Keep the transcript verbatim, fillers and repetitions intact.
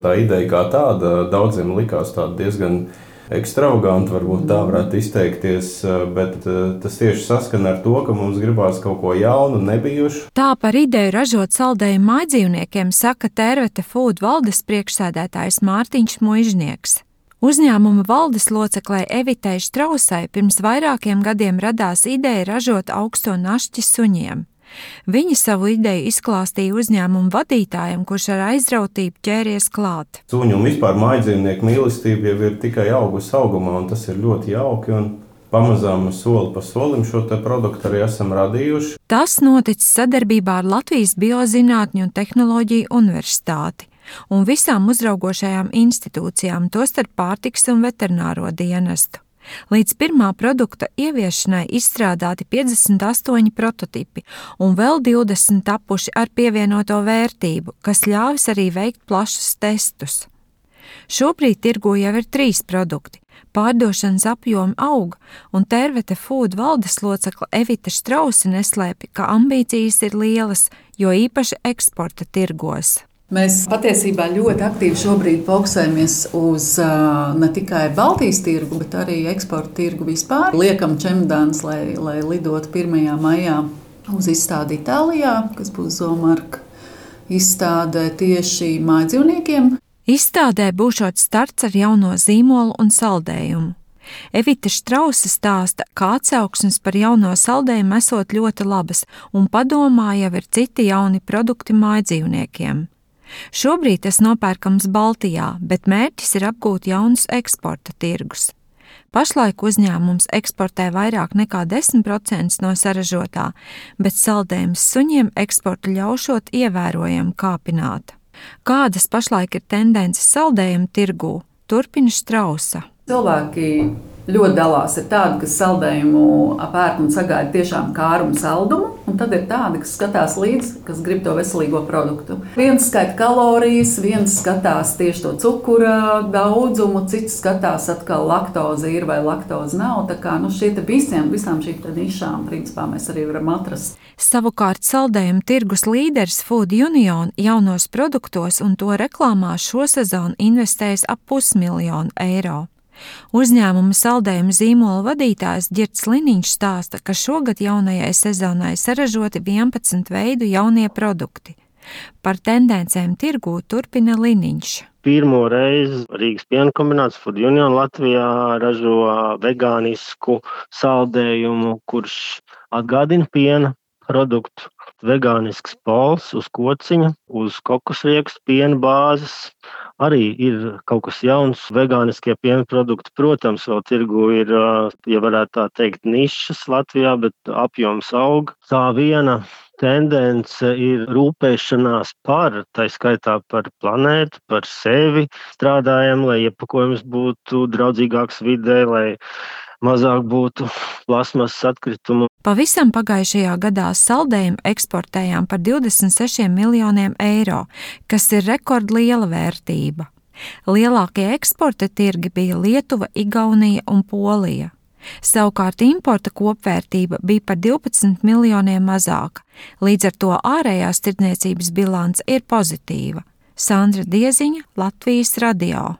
Tā ideja kā tāda daudziem likās tāda diezgan ekstravaganta, varbūt tā varētu izteikties, bet tas tieši saskan ar to, ka mums gribās kaut ko jaunu, nebijušu. Tā par ideju ražot saldējumu mājdzīvniekiem saka Tērvete Food valdes priekšsēdētājs Mārtiņš Muižnieks. Uzņēmuma valdes loceklei Evitei Štrausai pirms vairākiem gadiem radās ideja ražot augsto našķi suņiem. Viņa savu ideju izklāstīja uzņēmumu vadītājam, kurš ar aizrautību ķēries klāt. Suņu un vispār mājdzīvnieku mīlestība jau ir tikai augusi augumā, un tas ir ļoti jauki. Un pamazām soli pa solim šo te produktu arī esam radījuši. Tas noticis sadarbībā ar Latvijas Biozinātņu un tehnoloģiju universitāti un visām uzraugošajām institūcijām, tostarp pārtikas un veterināro dienestu. Līdz pirmā produkta ieviešanai izstrādāti piecdesmit astoņi prototipi un vēl divdesmit tapuši ar pievienoto vērtību, kas ļāvis arī veikt plašus testus. Šobrīd tirgū jau ir trīs produkti. Pārdošanas apjomi aug, un Tērvete Food valdes locekle Evita Štrausa neslēpj, ka ambīcijas ir lielas, jo īpaši eksporta tirgos. Mēs patiesībā ļoti aktīvi šobrīd fokusējamies uz uh, ne tikai Baltijas tirgu, bet arī eksporta tirgu vispār. Liekam čemodānus, lai, lai lidotu pirmajā maijā uz izstādi Itālijā, kas būs Zoomark izstāde tieši mājdzīvniekiem. Izstādē būšot starts ar jauno zīmolu un saldējumu. Evita Štrausa stāsta, ka atsauksmes par jauno saldējumu esot ļoti labas, un padomā jau ir citi jauni produkti mājdzīvniekiem. Šobrīd tas nopērkams Baltijā, bet mērķis ir apgūt jaunus eksporta tirgus. Pašlaik uzņēmums eksportē vairāk nekā desmit procenti no saražotā, bet saldējums suņiem eksportu ļaušot ievērojami kāpināt. Kādas pašlaik ir tendences saldējumu tirgū, turpina Štrausa. Cilvēki ļoti dalās. Ir tādi, kas saldējumu pērk un sagaida tiešām kārumu saldumu, un tad ir tādi, kas skatās līdzi, kas grib to veselīgo produktu. Viens skaita kalorijas, viens skatās tieši to cukura daudzumu, cits skatās atkal laktoze ir vai laktoze nav. Tā kā nu, šie te visiem, visām šīm nišām principā mēs arī varam atrast. Savukārt saldējumu tirgus līderis Food Union jaunos produktos un to reklāmā šo sezonu investējis ap pusmiljonu eiro. Uzņēmuma saldējuma zīmola vadītājs Ģirds Liniņš stāsta, ka šogad jaunajai sezonai saražoti vienpadsmit veidu jaunie produkti. Par tendencēm tirgū turpina Liniņš. Pirmo reizi Rīgas piena kombināts Food Union Latvijā ražo vegānisku saldējumu, kurš atgādina piena produktu. Vegānisks pols uz kociņa, uz kokosriekstu piena bāzes. Arī ir kaut kas jauns, vegāniskie piena produkti. Protams, vēl tirgu ir, ja varētu tā teikt, nišas Latvijā, bet apjoms aug. Tā viena tendence ir rūpēšanās par, tā skaitā par planētu, par sevi. Strādājam, lai iepakojums būtu draudzīgāks vidē, lai mazāk būtu plasmasas atkritumu. Pavisam pagājušajā gadā saldējumu eksportējām par divdesmit sešiem miljoniem eiro, kas ir rekordliela vērtība. Lielākie eksporta tirgi bija Lietuva, Igaunija un Polija. Savukārt importa kopvērtība bija par divpadsmit miljoniem mazāka, līdz ar to ārējās tirdzniecības bilance ir pozitīva. Sandra Dieziņa, Latvijas radio.